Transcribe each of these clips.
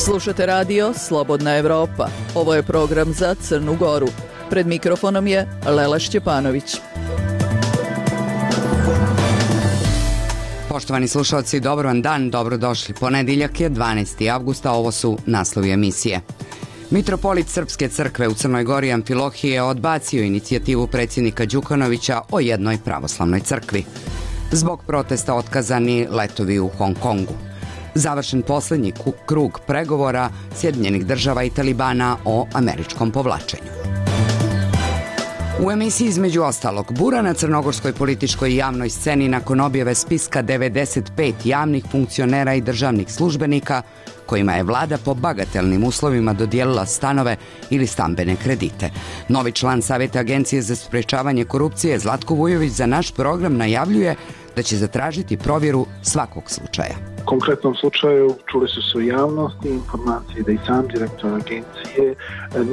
Slušate radio Slobodna Evropa. Ovo je program za Crnu Goru. Pred mikrofonom je Lela Šćepanović. Poštovani slušalci, dobar vam dan, dobrodošli. Ponedeljak je 12. avgusta, ovo su naslovi emisije. Mitropolit Srpske crkve u Crnoj Gori Amfilohije odbacio inicijativu predsjednika Đukanovića o jednoj pravoslavnoj crkvi. Zbog protesta otkazani letovi u Hong Kongu. Završen posljednji krug pregovora Sjedinjenih država i Talibana o američkom povlačenju. U emisiji između ostalog, bura na crnogorskoj političkoj i javnoj sceni nakon objave spiska 95 javnih funkcionera i državnih službenika kojima je vlada po bagatelnim uslovima dodijelila stanove ili stambene kredite. Novi član Savjeta Agencije za sprečavanje korupcije Zlatko Vujović za naš program najavljuje da će zatražiti provjeru svakog slučaja. U konkretnom slučaju čuli su se u javnosti informacije da i sam direktor agencije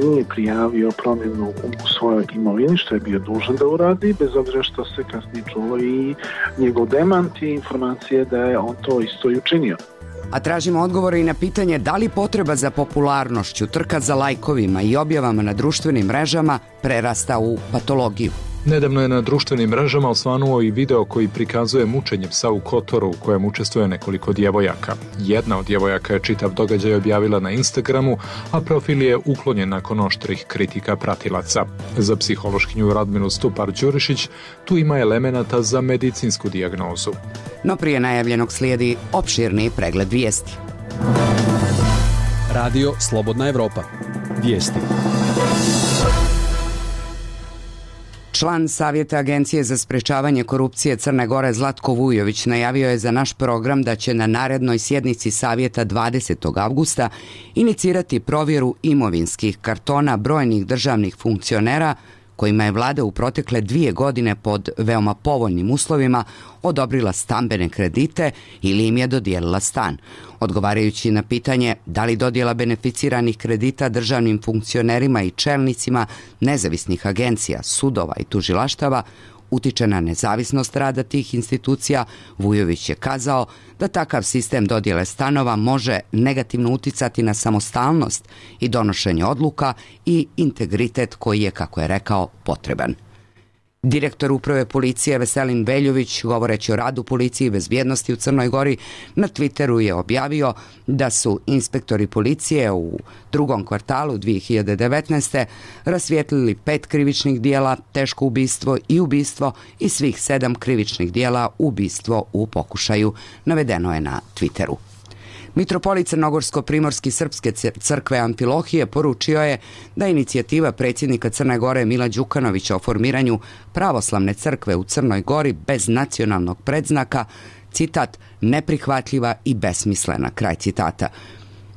nije prijavio promjenu u svojoj imovini, što je bio dužan da uradi, bez obzira što se kasnije čulo i njegov demant i informacije da je on to isto i učinio. A tražimo odgovore i na pitanje da li potreba za popularnošću, trka za lajkovima i objavama na društvenim mrežama prerasta u patologiju. Nedavno je na društvenim mrežama osvanuo i video koji prikazuje mučenje psa u Kotoru u kojem učestvuje nekoliko djevojaka. Jedna od djevojaka je čitav događaj objavila na Instagramu, a profil je uklonjen nakon oštrih kritika pratilaca. Za psihološkinju Radmilu Stupar-Đurišić tu ima elemenata za medicinsku dijagnozu. No prije najavljenog slijedi opširni pregled vijesti. Radio Slobodna Evropa. Vijesti. Član Savjeta Agencije za sprečavanje korupcije Crne Gore Zlatko Vujović najavio je za naš program da će na narednoj sjednici Savjeta 20. avgusta inicirati provjeru imovinskih kartona brojnih državnih funkcionera kojima je vlada u protekle 2 godine pod veoma povoljnim uslovima odobrila stambene kredite ili im je dodijelila stan. Odgovarajući na pitanje da li dodjela beneficiranih kredita državnim funkcionerima i čelnicima nezavisnih agencija, sudova i tužilaštava utiče na nezavisnost rada tih institucija, Vujović je kazao da takav sistem dodjele stanova može negativno uticati na samostalnost i donošenje odluka i integritet koji je, kako je rekao, potreban. Direktor uprave policije Veselin Veljović, govoreći o radu policije i bezbjednosti u Crnoj Gori, na Twitteru je objavio da su inspektori policije u drugom kvartalu 2019. rasvijetlili 5 krivičnih dijela, teško ubistvo i svih 7 krivičnih dijela ubistvo u pokušaju, navedeno je na Twitteru. Mitropolit Crnogorsko-primorski Srpske crkve Amfilohije poručio je da inicijativa predsjednika Crne Gore Mila Đukanovića o formiranju pravoslavne crkve u Crnoj Gori bez nacionalnog predznaka, citat, neprihvatljiva i besmislena, kraj citata.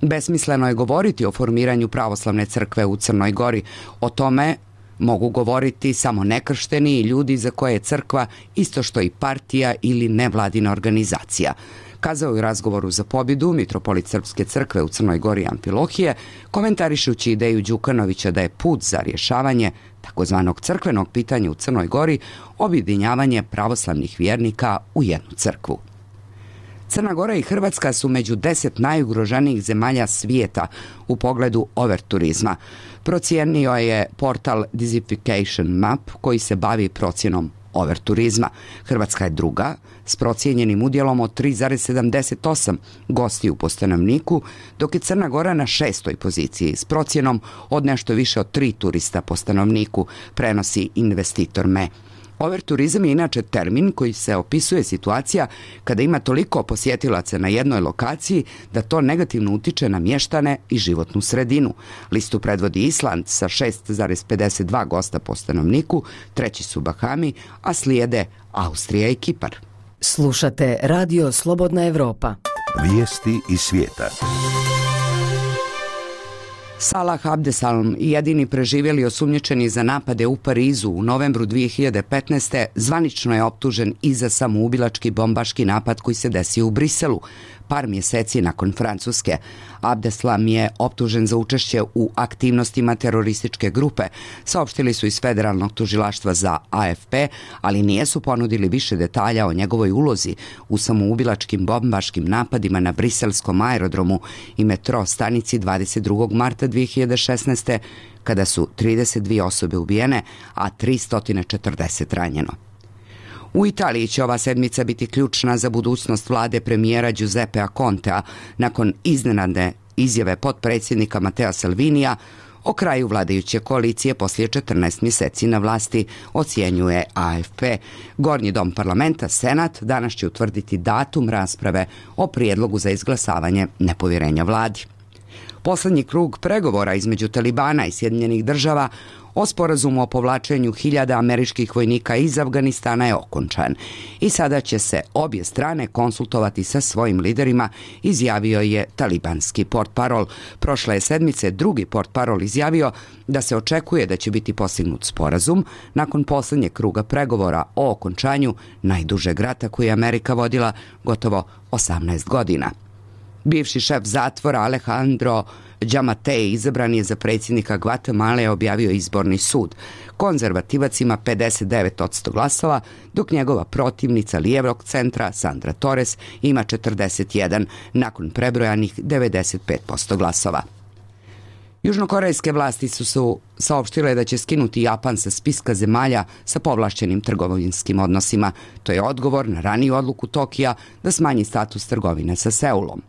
Besmisleno je govoriti o formiranju pravoslavne crkve u Crnoj Gori. O tome mogu govoriti samo nekršteni i ljudi za koje je crkva isto što i partija ili nevladina organizacija. Kazao je u razgovoru za pobjedu mitropolit Srpske crkve u Crnoj Gori Amfilohije, komentarišući ideju Đukanovića da je put za rješavanje takozvanog crkvenog pitanja u Crnoj Gori objedinjavanje pravoslavnih vjernika u jednu crkvu. Crna Gora i Hrvatska su među 10 najugroženijih zemalja svijeta u pogledu overturizma. Procijenio je portal Dizification Map koji se bavi procjenom overturizma. Hrvatska je druga s procijenjenim udjelom od 3,78 gostiju po stanovniku, dok je Crna Gora na 6. poziciji s procjenom od nešto više od 3 turista po stanovniku, prenosi investitor Me. Overturizam je inače termin koji se opisuje situacija kada ima toliko posjetilaca na jednoj lokaciji da to negativno utiče na mještane i životnu sredinu. Listu predvodi Island sa 6,52 gosta po stanovniku, treći su Bahami, a slijede Austrija i Kipar. Slušate Radio Slobodna Evropa. Vijesti iz svijeta. Salah Abdeslam, jedini preživjeli osumnjičeni za napade u Parizu u novembru 2015. zvanično je optužen i za samoubilački bombaški napad koji se desio u Briselu. par mjeseci nakon Francuske. Abdeslam je optužen za učešće u aktivnostima terorističke grupe, saopštili su iz Federalnog tužilaštva za AFP, ali nijesu ponudili više detalja o njegovoj ulozi u samoubilačkim bombaškim napadima na briselskom aerodromu i metro stanici 22. marta 2016. kada su 32 osobe ubijene, a 340 ranjeno. U Italiji će ova sedmica biti ključna za budućnost vlade premijera Giuseppea Contea nakon iznenadne izjave potpredsjednika Mattea Salvinija o kraju vladajuće koalicije poslije 14 mjeseci na vlasti, ocjenjuje AFP. Gornji dom parlamenta, Senat, danas će utvrditi datum rasprave o prijedlogu za izglasavanje nepovjerenja vladi. Poslednji krug pregovora između Talibana i Sjedinjenih država o sporazumu o povlačenju 1000 američkih vojnika iz Afganistana je okončan i sada će se obje strane konsultovati sa svojim liderima, izjavio je talibanski portparol. Prošle je sedmice drugi portparol izjavio da se očekuje da će biti postignut sporazum nakon poslednjeg kruga pregovora o okončanju najdužeg rata koji je Amerika vodila gotovo 18 godina. Bivši šef zatvora Alejandro Giammattei izabran je za predsjednika Gvatemale, objavio izborni sud. Konzervativac ima 59% glasova, dok njegova protivnica lijevog centra Sandra Torres ima 41, nakon prebrojanih 95% glasova. Južnokorejske vlasti su saopštile da će skinuti Japan sa spiska zemalja sa povlašćenim trgovinskim odnosima. To je odgovor na raniju odluku Tokija da smanji status trgovine sa Seulom.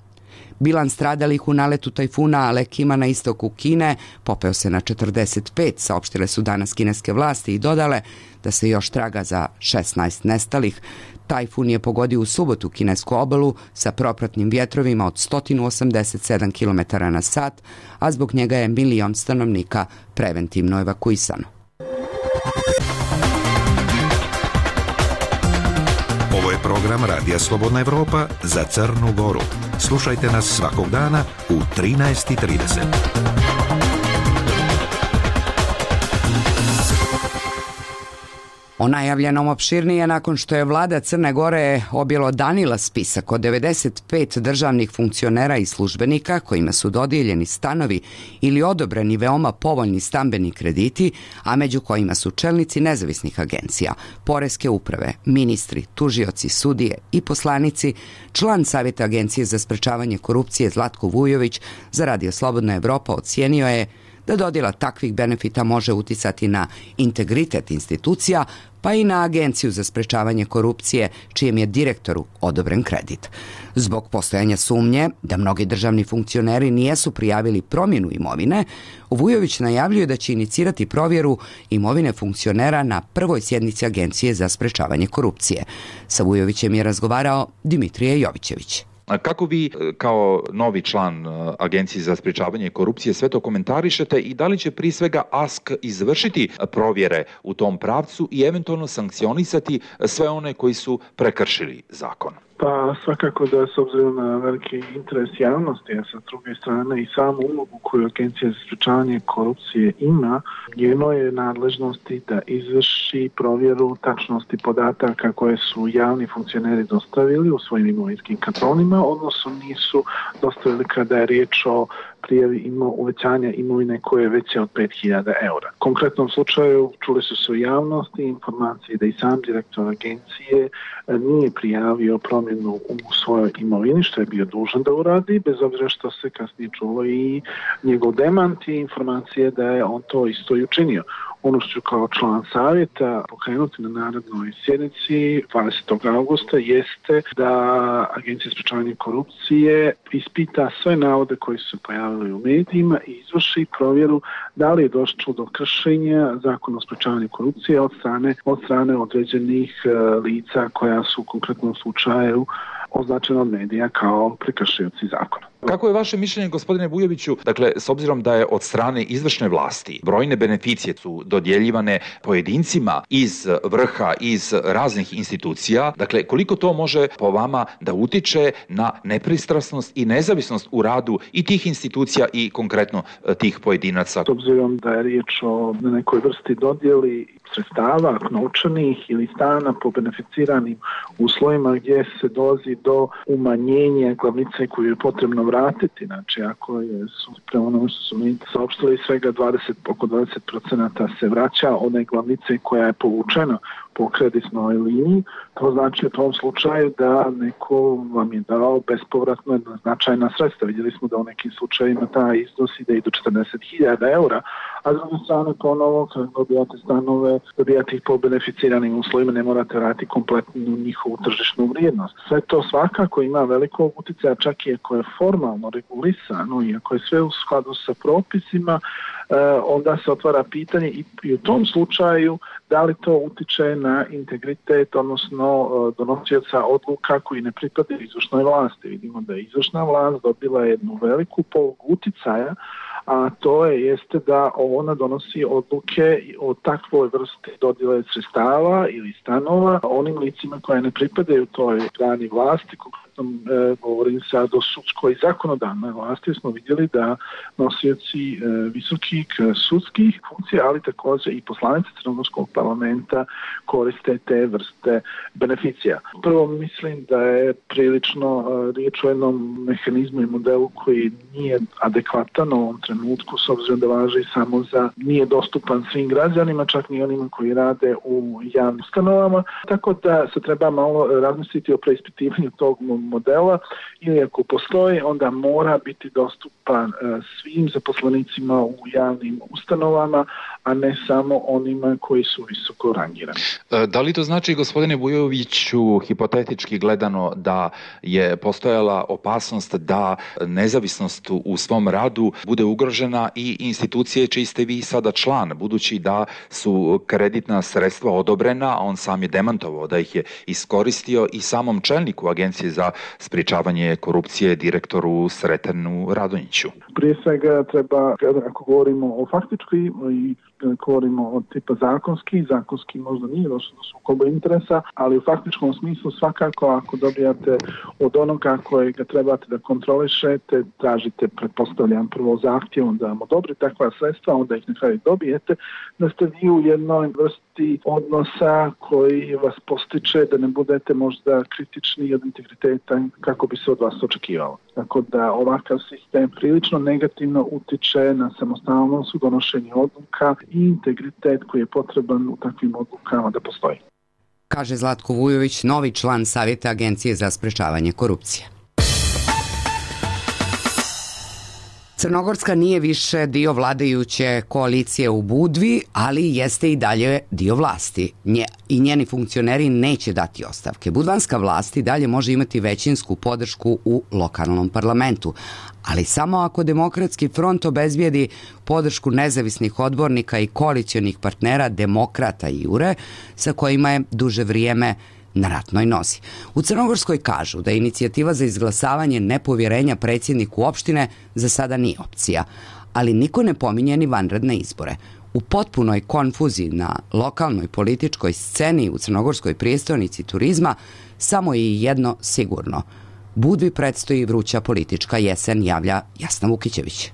Bilans stradalih u naletu tajfuna Alekima na istoku Kine popeo se na 45, saopštile su danas kineske vlasti i dodale da se još traga za 16 nestalih. Tajfun je pogodio u subotu kinesku obalu sa propratnim vjetrovima od 187 km na sat, a zbog njega je 1 milion stanovnika preventivno evakuisano. Ovo je program Radija Slobodna Evropa za Crnu Goru. Slušajte nas svakog dana u 13:30. O najavljenom opširnije nakon što je vlada Crne Gore objelodanila spisak od 95 državnih funkcionera i službenika kojima su dodijeljeni stanovi ili odobreni veoma povoljni stambeni krediti, a među kojima su čelnici nezavisnih agencija, poreske uprave, ministri, tužioci, sudije i poslanici. Član Savjeta Agencije za sprečavanje korupcije Zlatko Vujović za Radio Slobodna Evropa ocijenio je da dodjela takvih benefita može uticati na integritet institucija, pa i na Agenciju za sprečavanje korupcije, čijem je direktoru odobren kredit. Zbog postojanja sumnje da mnogi državni funkcioneri nijesu prijavili promjenu imovine, Vujović najavljuje da će inicirati provjeru imovine funkcionera na prvoj sjednici Agencije za sprečavanje korupcije. Sa Vujovićem je razgovarao Dimitrije Jovićević. Kako vi kao novi član Agencije za sprečavanje korupcije sve to komentarišete i da li će prije svega ASK izvršiti provjere u tom pravcu i eventualno sankcionisati sve one koji su prekršili zakon? Pa svakako da s obzirom na veliki interes javnosti, a sa druge strane i samu ulogu koju Agencija za sprečavanje korupcije ima, njeno je nadležnosti da izvrši provjeru tačnosti podataka koje su javni funkcioneri dostavili u svojim imovinskim kartonima, odnosno nisu dostavili kada je riječ o prijavi uvećanja imovine koje je veće od 5.000 eura. U konkretnom slučaju čuli su se u javnosti informacije da i sam direktor agencije nije prijavio promjenu u svojoj imovini, što je bio dužan da uradi, bez obzira što se kasnije čulo i njegov demant i informacije da je on to isto i učinio. Ono što ću kao član savjeta pokrenuti na narednoj sjednici 20. augusta jeste da Agencija za sprečavanje korupcije ispita sve navode koji su se pojavili u medijima i izvrši provjeru da li je došlo do kršenja zakona o sprečavanju korupcije od strane određenih lica koja su u konkretnom slučaju označena od medija kao prekršioci zakona. Kako je vaše mišljenje, gospodine Vujoviću, dakle, s obzirom da je od strane izvršne vlasti brojne beneficije su dodjeljivane pojedincima iz vrha, iz raznih institucija, dakle, koliko to može po vama da utiče na nepristrasnost i nezavisnost u radu i tih institucija i konkretno tih pojedinaca? S obzirom da je riječ o nekoj vrsti dodjeli sredstava, novčanih ili stana po beneficiranim uslovima gdje se dolazi do umanjenja glavnice koju je potrebno vratiti. Znači, ako su prema onome što su mi saopštili, svega oko 20% se vraća one glavnice koja je povučena po kreditnoj liniji, to znači u tom slučaju da neko vam je dao bespovratno značajna sredstva. Vidjeli smo da u nekim slučajima taj iznos ide i do 40.000 eura, a s druge strane ponovo kad dobijate stanove, dobijate ih po beneficiranim uslovima, ne morate vratiti kompletnu njihovu tržišnu vrijednost. Sve to svakako ima velikog utjecaja, čak i ako je formalno regulisano i ako je sve u skladu sa propisima, onda se otvara pitanje i u tom slučaju da li to utiče na integritet, odnosno donosioca odluka koji ne pripadaju izvršnoj vlasti. Vidimo da je izvršna vlast dobila jednu veliku polugu uticaja, a to jeste da ona donosi odluke o takvoj vrsti dodjele sredstava ili stanova onim licima koje ne pripadaju toj grani vlasti. Govorim sad o sudskoj i zakonodavnoj vlasti, smo vidjeli da nosioci visokih sudskih funkcija, ali također i poslanici Crnogorskog parlamenta koriste te vrste beneficija. Prvo mislim da je prilično riječ o jednom mehanizmu i modelu koji nije adekvatan u ovom trenutku, s obzirom da važi samo nije dostupan svim građanima, čak ni onima koji rade u javnim ustanovama, tako da se treba malo razmisliti o preispitivanju tog modela, ili ako postoji, onda mora biti dostupan svim zaposlenicima u javnim ustanovama, a ne samo onima koji su visoko rangirani. Da li to znači, gospodine Vujoviću, hipotetički gledano, da je postojala opasnost da nezavisnost u svom radu bude ugrožena i institucije čiji ste vi sada član, budući da su kreditna sredstva odobrena, a on sam je demantovao da ih je iskoristio i samom čelniku Agencije za sprječavanje korupcije, direktoru Sretenu Radonjiću? Prije svega treba, ako govorimo o faktičkoj i govorimo o tipa zakonski možda nije došlo do sukoba interesa, ali u faktičkom smislu svakako ako dobijate od onoga kojega trebate da kontrolišete, tražite, pretpostavljam, prvo zahtjevom da vam odobri takva sredstva, onda ih na kraju dobijete, da ste vi u jednoj vrsti odnosa koji vas postiče da ne budete možda kritični od integriteta kako bi se od vas očekivalo. Tako da ovakav sistem prilično negativno utiče na samostalnost u donošenju odluka i integritet koji je potreban u takvim odlukama da postoji. Kaže Zlatko Vujović, novi član Savjeta Agencije za sprečavanje korupcije. Crnogorska nije više dio vladajuće koalicije u Budvi, ali jeste i dalje dio vlasti. I njeni funkcioneri neće dati ostavke. Budvanska vlast i dalje može imati većinsku podršku u lokalnom parlamentu, ali samo ako Demokratski front obezbijedi podršku nezavisnih odbornika i koalicionih partnera Demokrata i Jure, sa kojima je duže vrijeme na ratnoj nozi. U Crnogorskoj kažu da inicijativa za izglasavanje nepovjerenja predsjedniku opštine za sada nije opcija, ali niko ne pominje ni vanredne izbore. U potpunoj konfuziji na lokalnoj političkoj sceni u crnogorskoj prijestolnici turizma samo je jedno sigurno. Budvi predstoji vruća politička jesen, javlja Jasna Vukićević.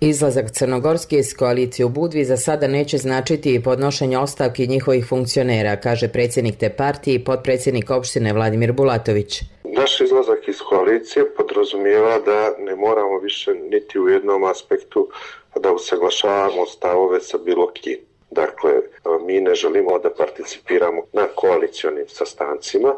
Izlazak Crnogorske iz koalicije u Budvi za sada neće značiti podnošenje ostavki njihovih funkcionera, kaže predsjednik te partije i potpredsjednik opštine Vladimir Bulatović. Naš izlazak iz koalicije podrazumijeva da ne moramo više niti u jednom aspektu da usaglašavamo stavove sa bilo kim. Dakle, mi ne želimo da participiramo na koalicionim sastancima,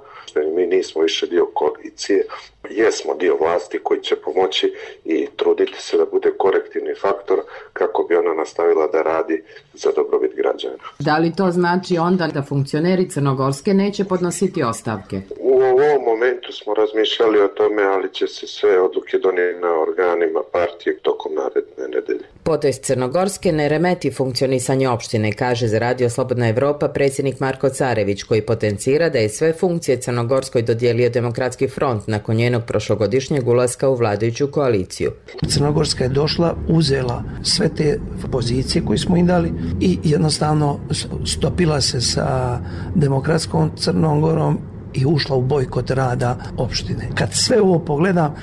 mi nismo više dio koalicije, jesmo dio vlasti koji će pomoći i truditi se da bude korektivni faktor kako bi ona nastavila da radi za dobrobit građana. Da li to znači onda da funkcioneri Crnogorske neće podnositi ostavke? U ovom momentu smo razmišljali o tome, ali će se sve odluke donijeti na organima partije tokom naredne nedelje. Potez Crnogorske ne remeti funkcionisanje opštine, kaže za Radio Radio Slobodna Evropa predsjednik Marko Carević, koji potencira da je sve funkcije Crnogorskoj dodijelio Demokratski front nakon njenog prošlogodišnjeg ulaska u vladajuću koaliciju. Crnogorska je došla, uzela sve te pozicije koje smo im dali i jednostavno stopila se sa Demokratskom Crnom Gorom i ušla u bojkot rada opštine. Kad sve ovo pogledam,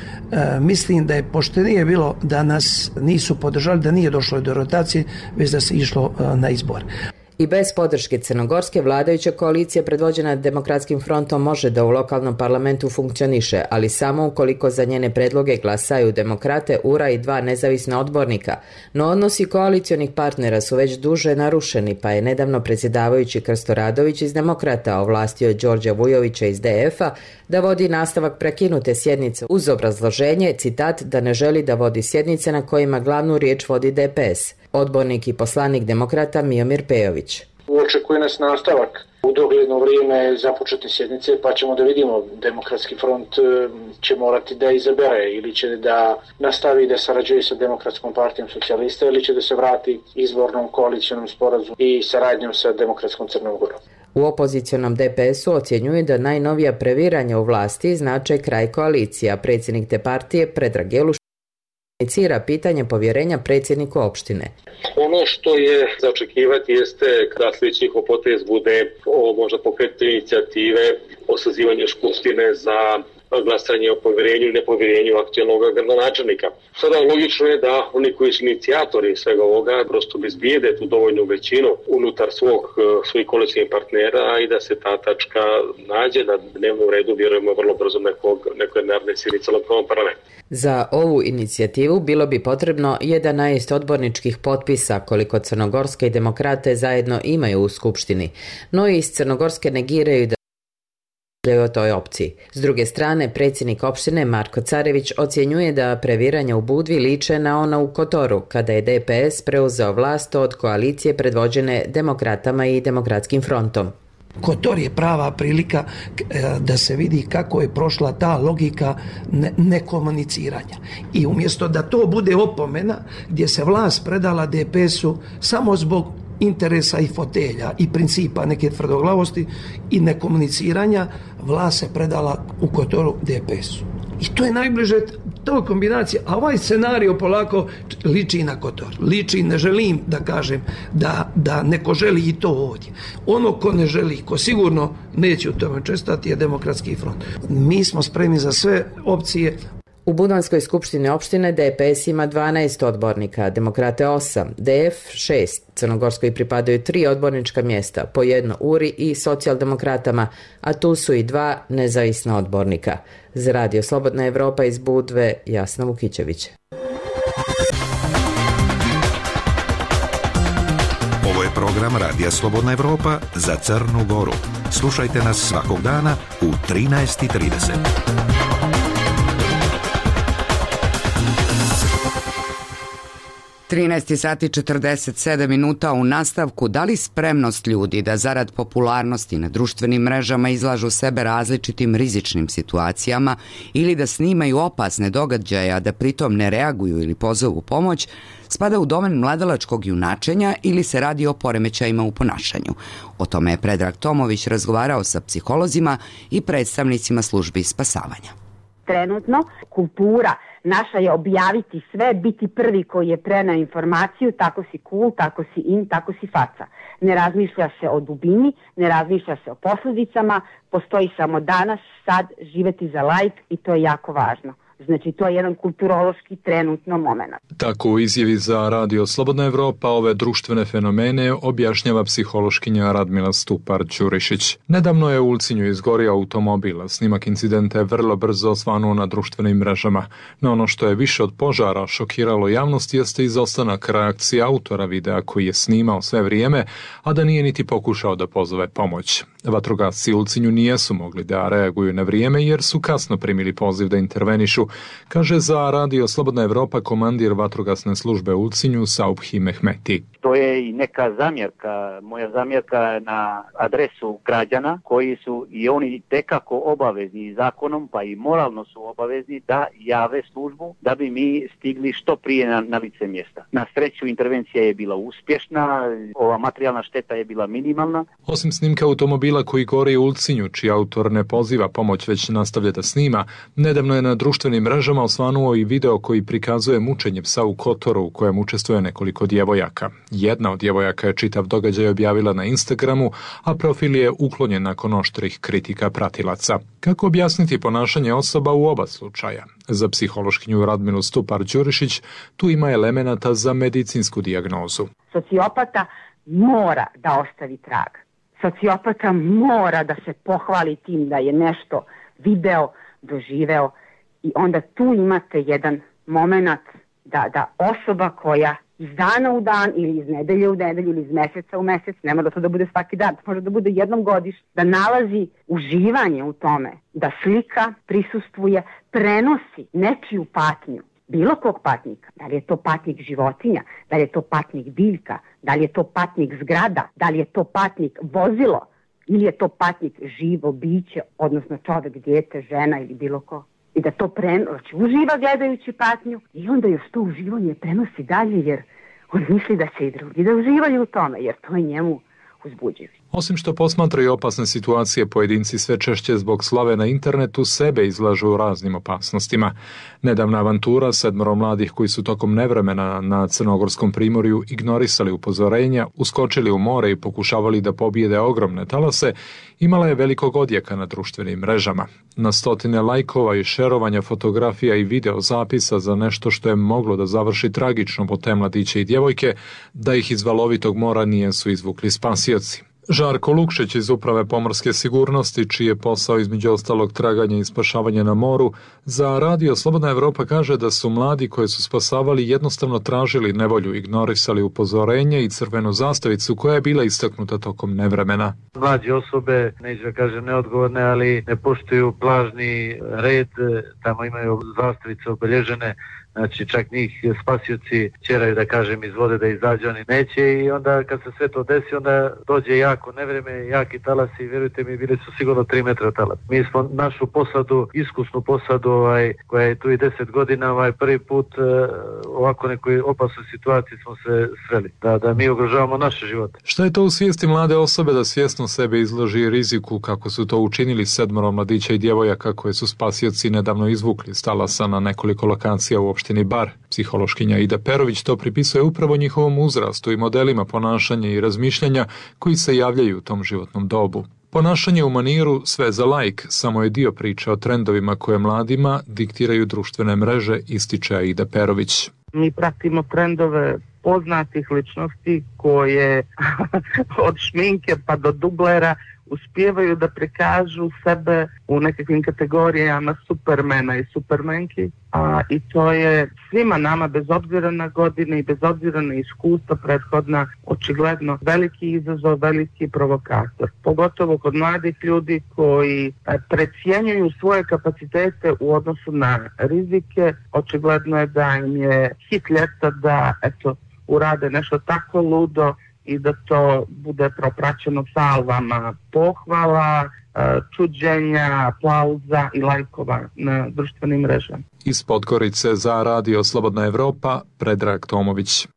mislim da je poštenije bilo da nas nisu podržali, da nije došlo do rotacije, već da se išlo na izbor. I bez podrške crnogorske vladajuća koalicija predvođena Demokratskim frontom može da u lokalnom parlamentu funkcioniše, ali samo ukoliko za njene predloge glasaju demokrate, URA i 2 nezavisna odbornika. No odnosi koalicionih partnera su već duže narušeni, pa je nedavno predsjedavajući Krsto Radović iz Demokrata ovlastio Đorđa Vujovića iz DF-a da vodi nastavak prekinute sjednice uz obrazloženje, citat, da ne želi da vodi sjednice na kojima glavnu riječ vodi DPS. Odbornik i poslanik Demokrata Miomir Pejović. Očekuje nas nastavak u dogledno vrijeme započete sjednice, pa ćemo da vidimo. Demokratski front će morati da izabere ili će da nastavi da sarađuje sa Demokratskom partijom socijalista ili će da se vrati izbornom koalicionom sporazumu i saradnjom sa Demokratskom Crnom Gorom. U opozicionom DPS-u ocjenjuju da najnovija previranja u vlasti znače kraj koalicija. Predsjednik te partije Predrag Jeluš inicira pitanje povjerenja predsjedniku opštine. Ono što je za očekivati jeste da sljedeći potez bude možda pokretiti inicijative o sazivanju skupštine za glasanje o povjerenju i nepovjerenju aktualnog gradonačelnika. Sada logično je da oni koji su inicijatori svega ovoga prosto bezbijede tu dovoljnu većinu unutar svojih koalicijskih partnera i da se ta tačka nađe na dnevnom redu, vjerujemo vrlo brzo nekoj naredne sjednice lokalnog parlamenta. Za ovu inicijativu bilo bi potrebno 11 odborničkih potpisa koliko Crnogorske i Demokrate zajedno imaju u Skupštini, no iz Crnogorske negiraju da o toj opciji. S druge strane, predsjednik opštine Marko Carević ocjenjuje da previranja u Budvi liče na ona u Kotoru, kada je DPS preuzeo vlast od koalicije predvođene Demokratama i Demokratskim frontom. Kotor je prava prilika da se vidi kako je prošla ta logika nekomuniciranja. I umjesto da to bude opomena gdje se vlast predala DPS-u samo zbog interesa i fotelja i principa neke tvrdoglavosti i nekomuniciranja, vlast se predala u Kotoru DPS-u. I to je najbliže toj kombinaciji. A ovaj scenario polako liči na Kotor. Liči, ne želim da kažem da neko želi i to ovdje. Ono ko ne želi, ko sigurno neće u tome čestati je Demokratski front. Mi smo spremni za sve opcije. U Budanskoj skupštini opštine DPS ima 12 odbornika, Demokrate 8, DF 6, Crnogorskoj pripadaju 3 odbornička mjesta, po jedno URI i socijaldemokratama, a tu su i 2 nezavisna odbornika. Za Radio Slobodna Evropa iz Budve, Jasna Vukićević. Ovo je program Radija Slobodna Evropa za Crnu Goru. Slušajte nas svakog dana u 13:30. 13 sati 47 minuta u nastavku. Da li spremnost ljudi da zarad popularnosti na društvenim mrežama izlažu sebe različitim rizičnim situacijama ili da snimaju opasne događaje, a da pritom ne reaguju ili pozovu pomoć, spada u domen mladalačkog junačenja ili se radi o poremećajima u ponašanju? O tome je Predrag Tomović razgovarao sa psiholozima i predstavnicima službi spasavanja. Trenutno kultura naša je objaviti sve, biti prvi koji je preneo informaciju, tako si cool, tako si in, tako si faca. Ne razmišlja se o dubini, ne razmišlja se o posljedicama, postoji samo danas, sad, živeti za like i to je jako važno. Znači, to je jedan kulturološki trenutno moment. Tako u izjavi za Radio Slobodna Evropa ove društvene fenomene objašnjava psihološkinja Radmila Stupar-Ćurišić. Nedavno je u Ulcinju izgorio automobil. Snimak incidenta je vrlo brzo osvanuo na društvenim mrežama. No ono što je više od požara šokiralo javnost jeste izostanak reakcije autora videa koji je snimao sve vrijeme, a da nije niti pokušao da pozove pomoć. Vatrogasci u Ulcinju nijesu mogli da reaguju na vrijeme jer su kasno primili poziv da intervenišu, kaže za Radio Slobodna Evropa komandir vatrogasne službe u Ulcinju Saubhi Mehmeti. To je i neka zamjerka, moja zamjerka na adresu građana koji su i oni tekako obavezni zakonom, pa i moralno su obavezni da jave službu da bi mi stigli što prije na lice mjesta. Na sreću intervencija je bila uspješna, ova materijalna šteta je bila minimalna. Osim snimka automobila koji gori u Ulcinju, čiji autor ne poziva pomoć već nastavlja da snima, nedavno je na društvenim mrežama osvanuo i video koji prikazuje mučenje psa u Kotoru u kojem učestvuje nekoliko djevojaka. Jedna od djevojaka je čitav događaj objavila na Instagramu, a profil je uklonjen nakon oštrih kritika pratilaca. Kako objasniti ponašanje osoba u oba slučaja? Za psihološkinju Radmilu Stupar-Đurišić tu ima elemenata za medicinsku dijagnozu. Sociopata mora da ostavi trag. Sociopata mora da se pohvali tim da je nešto video, doživeo i onda tu imate jedan moment da osoba koja iz dana u dan ili iz nedelje u nedelju ili iz mjeseca u mjesec, ne mora da bude svaki dan, može da bude jednom godišnje, da nalazi uživanje u tome, da slika, prisustvuje, prenosi nečiju patnju, bilo kog patnika, da li je to patnik životinja, da li je to patnik biljka, da li je to patnik zgrada, da li je to patnik vozilo ili je to patnik živo biće, odnosno čovjek, dijete, žena ili bilo ko. I da to uživa gledajući patnju i onda još to uživanje prenosi dalje jer on misli da će i drugi da uživaju u tome jer to je njemu uzbuđivo. Osim što posmatraju opasne situacije, pojedinci sve češće zbog slave na internetu sebe izlažu raznim opasnostima. Nedavna avantura 7 mladih koji su tokom nevremena na Crnogorskom primorju ignorisali upozorenja, uskočili u more i pokušavali da pobijede ogromne talase, imala je velikog odjeka na društvenim mrežama. Na stotine lajkova i šerovanja fotografija i video zapisa za nešto što je moglo da završi tragično po te mladiće i djevojke, da ih iz valovitog mora nijesu izvukli spasioci. Žarko Lukšić iz Uprave pomorske sigurnosti, čiji je posao između ostalog traganje i spašavanje na moru, za Radio Slobodna Evropa kaže da su mladi koje su spasavali jednostavno tražili nevolju, ignorisali upozorenje i crvenu zastavicu koja je bila istaknuta tokom nevremena. Mlađe osobe, neću da kažem neodgovorne, ali ne poštuju plažni red, tamo imaju zastavice obilježene. Znači čak njih spasioci ćeraju da kažem iz vode da izađu, oni neće i onda kad se sve to desi onda dođe jako nevreme, jaki talasi i vjerujte mi bili su sigurno 3 metra talas. Mi smo našu posadu, iskusnu posadu koja je tu i 10 godina, prvi put ovako nekoj opasnoj situaciji smo se sreli, da mi ugrožavamo naše živote. Šta je to u svijesti mlade osobe da svjesno sebe izloži riziku kako su to učinili 7 mladića i djevojaka koje su spasioci nedavno izvukli s talasa na nekoliko lokacija u opštini Bar? Psihološkinja Ida Perović to pripisuje upravo njihovom uzrastu i modelima ponašanja i razmišljanja koji se javljaju u tom životnom dobu. Ponašanje u maniru sve za lajk samo je dio priče o trendovima koje mladima diktiraju društvene mreže, ističe Ida Perović. Mi pratimo trendove poznatih ličnosti koje od šminke pa do dublera uspijevaju da prikažu sebe u nekakvim kategorijama supermena i supermenki, i to je svima nama bez obzira na godine i bez obzira na iskustva prethodna očigledno veliki izazov, veliki provokator. Pogotovo kod mladih ljudi koji precijenjuju svoje kapacitete u odnosu na rizike, očigledno je da im je hit ljeta da urade nešto tako ludo i da to bude propraćeno salvama pohvala, čuđenja, aplauza i lajkova na društvenim mrežama. Iz Podgorice za Radio Slobodna Evropa, Predrag Tomović.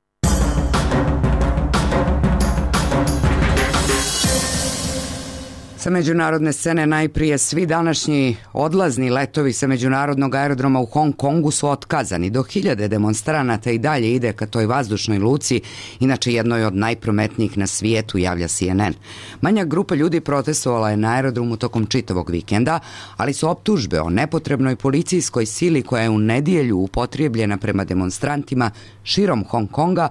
Sa međunarodne scene najprije svi današnji odlazni letovi sa međunarodnog aerodroma u Hong Kongu su otkazani. Do 1000 demonstranata i dalje ide ka toj vazdušnoj luci, inače jednoj od najprometnijih na svijetu, javlja CNN. Manja grupa ljudi protestovala je na aerodromu tokom čitavog vikenda, ali su optužbe o nepotrebnoj policijskoj sili koja je u nedjelju upotrijebljena prema demonstrantima širom Hong Konga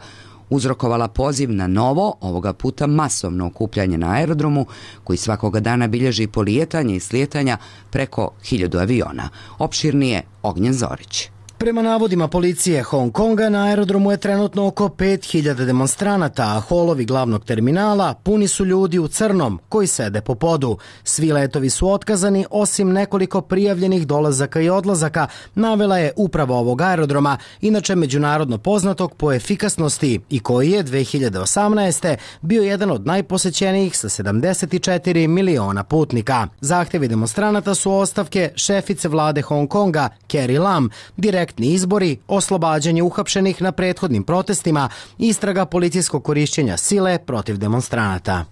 uzrokovala poziv na novo, ovoga puta masovno okupljanje na aerodromu, koji svakoga dana bilježi polijetanje i slijetanja preko 1000 aviona. Opširnije Ognjen Zorić. Prema navodima policije Hong Konga, na aerodromu je trenutno oko 5000 demonstranata, a holovi glavnog terminala puni su ljudi u crnom koji sede po podu. Svi letovi su otkazani osim nekoliko prijavljenih dolazaka i odlazaka, navela je uprava ovog aerodroma, inače međunarodno poznatog po efikasnosti i koji je 2018. bio jedan od najposećenijih sa 74 miliona putnika. Zahtjevi demonstranata su ostavke šefice vlade Hong Konga, Carrie Lam, direktni izbori, oslobađanje uhapšenih na prethodnim protestima, istraga policijskog korišćenja sile protiv demonstranata.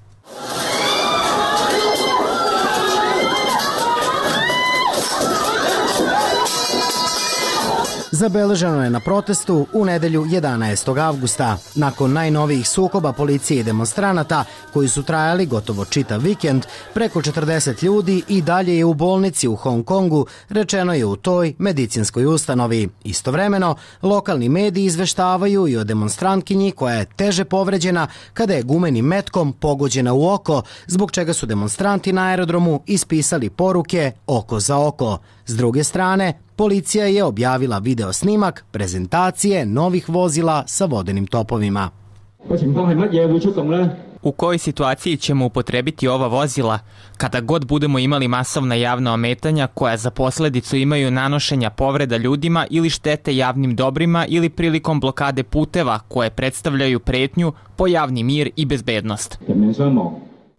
Zabeleženo je na protestu u nedelju 11. avgusta. Nakon najnovijih sukoba policije i demonstranata, koji su trajali gotovo čitav vikend, preko 40 ljudi i dalje je u bolnici u Hong Kongu, rečeno je u toj medicinskoj ustanovi. Istovremeno, lokalni mediji izveštavaju i o demonstrantkinji koja je teže povređena kada je gumenim metkom pogođena u oko, zbog čega su demonstranti na aerodromu ispisali poruke oko za oko. S druge strane, policija je objavila video snimak prezentacije novih vozila sa vodenim topovima. U kojoj situaciji ćemo upotrebiti ova vozila? Kada god budemo imali masovna javna ometanja koja za posljedicu imaju nanošenja povreda ljudima ili štete javnim dobrima ili prilikom blokade puteva koje predstavljaju pretnju po javni mir i bezbednost.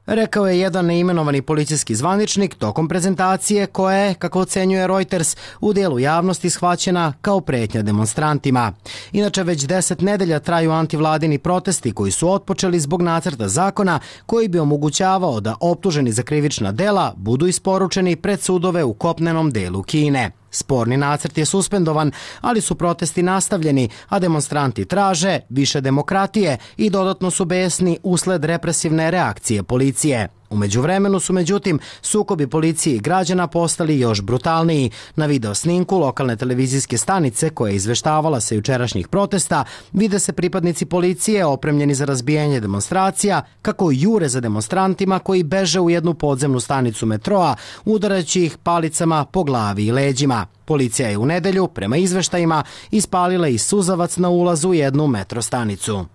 Rekao je jedan neimenovani policijski zvaničnik tokom prezentacije koja je, kako ocenjuje Reuters, u delu javnosti shvaćena kao pretnja demonstrantima. Inače, već 10 nedelja traju antivladini protesti koji su otpočeli zbog nacrta zakona koji bi omogućavao da optuženi za krivična dela budu isporučeni pred sudove u kopnenom delu Kine. Sporni nacrt je suspendovan, ali su protesti nastavljeni, a demonstranti traže više demokratije i dodatno su besni usled represivne reakcije policije. U međuvremenu su, međutim, sukobi policije i građana postali još brutalniji. Na video snimku lokalne televizijske stanice koja je izveštavala sa jučerašnjih protesta vide se pripadnici policije opremljeni za razbijanje demonstracija kako jure za demonstrantima koji beže u jednu podzemnu stanicu metroa, udarajući ih palicama po glavi i leđima. Policija je u nedelju, prema izveštajima, ispalila i suzavac na ulazu u jednu metro stanicu.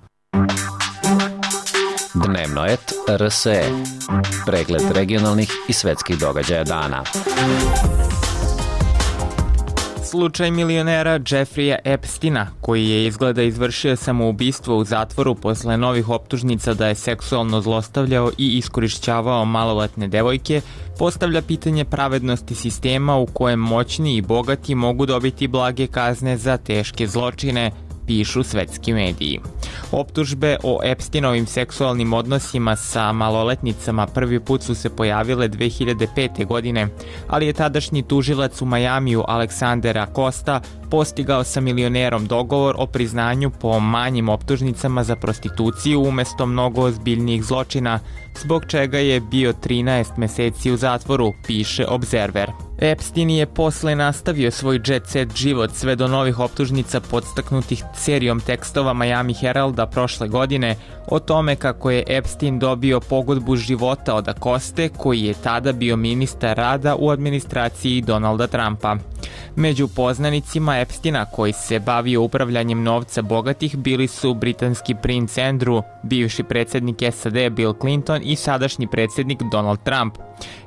Dnevno et RSE. Pregled regionalnih i svetskih događaja dana. Slučaj milionera Jeffreya Epsteina, koji je izgleda izvršio samoubistvo u zatvoru posle novih optužnica da je seksualno zlostavljao i iskorišćavao maloletne devojke, postavlja pitanje pravednosti sistema u kojem moćni i bogati mogu dobiti blage kazne za teške zločine, pišu svetski mediji. Optužbe o Epsteinovim seksualnim odnosima sa maloletnicama prvi put su se pojavile 2005. godine, ali je tadašnji tužilac u Majamiju Alexander Acosta postigao sa milionerom dogovor o priznanju po manjim optužnicama za prostituciju umesto mnogo ozbiljnijih zločina, zbog čega je bio 13 meseci u zatvoru, piše Observer. Epstein je posle nastavio svoj jet set život sve do novih optužnica podstaknutih serijom tekstova Miami Heralda prošle godine o tome kako je Epstein dobio pogodbu života od Acoste, koji je tada bio ministar rada u administraciji Donalda Trumpa. Među poznanicima Epsteina koji se bavio upravljanjem novca bogatih bili su britanski princ Andrew, bivši predsjednik SAD Bill Clinton i sadašnji predsjednik Donald Trump.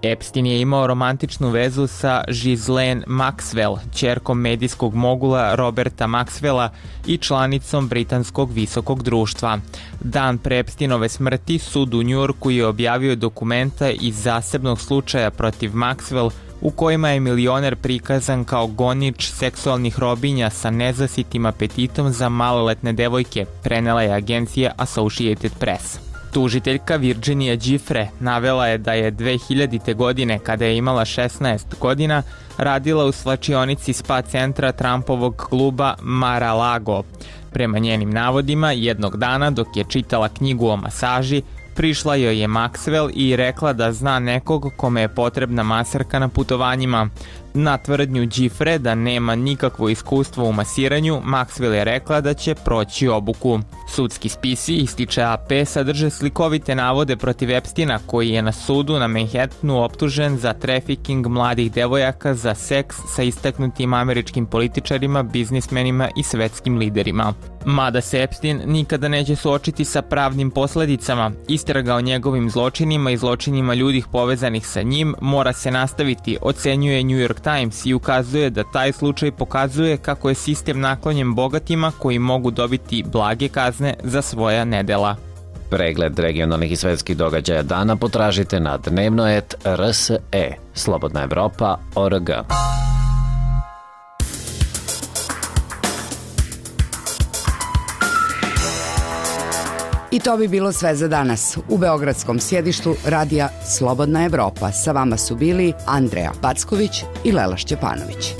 Epstein je imao romantičnu vezu sa Ghislaine Maxwell, ćerkom medijskog mogula Roberta Maxwella i članicom britanskog visokog društva. Dan pre Epsteinove smrti sud u Njujorku je objavio dokumenta iz zasebnog slučaja protiv Maxwell u kojima je milioner prikazan kao gonič seksualnih robinja sa nezasitim apetitom za maloletne devojke, prenela je agencija Associated Press. Tužiteljka Virginia Giuffre navela je da je 2000. godine, kada je imala 16 godina, radila u svlačionici spa centra Trumpovog kluba Mar-a-Lago. Prema njenim navodima, jednog dana dok je čitala knjigu o masaži, prišla joj je Maxwell i rekla da zna nekog kome je potrebna masarka na putovanjima. Na tvrdnju Giuffre da nema nikakvo iskustvo u masiranju, Maxwell je rekla da će proći obuku. Sudski spisi, ističe AP, sadrže slikovite navode protiv Epsteina, koji je na sudu na Manhattanu optužen za trafiking mladih devojaka za seks sa istaknutim američkim političarima, biznismenima i svetskim liderima. Mada se Epstein nikada neće suočiti sa pravnim posledicama, istraga o njegovim zločinima i zločinima ljudih povezanih sa njim mora se nastaviti, ocenjuje New York Times i ukazuje da taj slučaj pokazuje kako je sistem naklonjen bogatima koji mogu dobiti blage kazne za svoja nedela. Pregled regionalnih i svetskih događaja dana potražite na dnevnoet.rse, slobodnaevropa.org. I to bi bilo sve za danas. U beogradskom sjedištu radija Slobodna Evropa sa vama su bili Andreja Packović i Lela Šćepanović.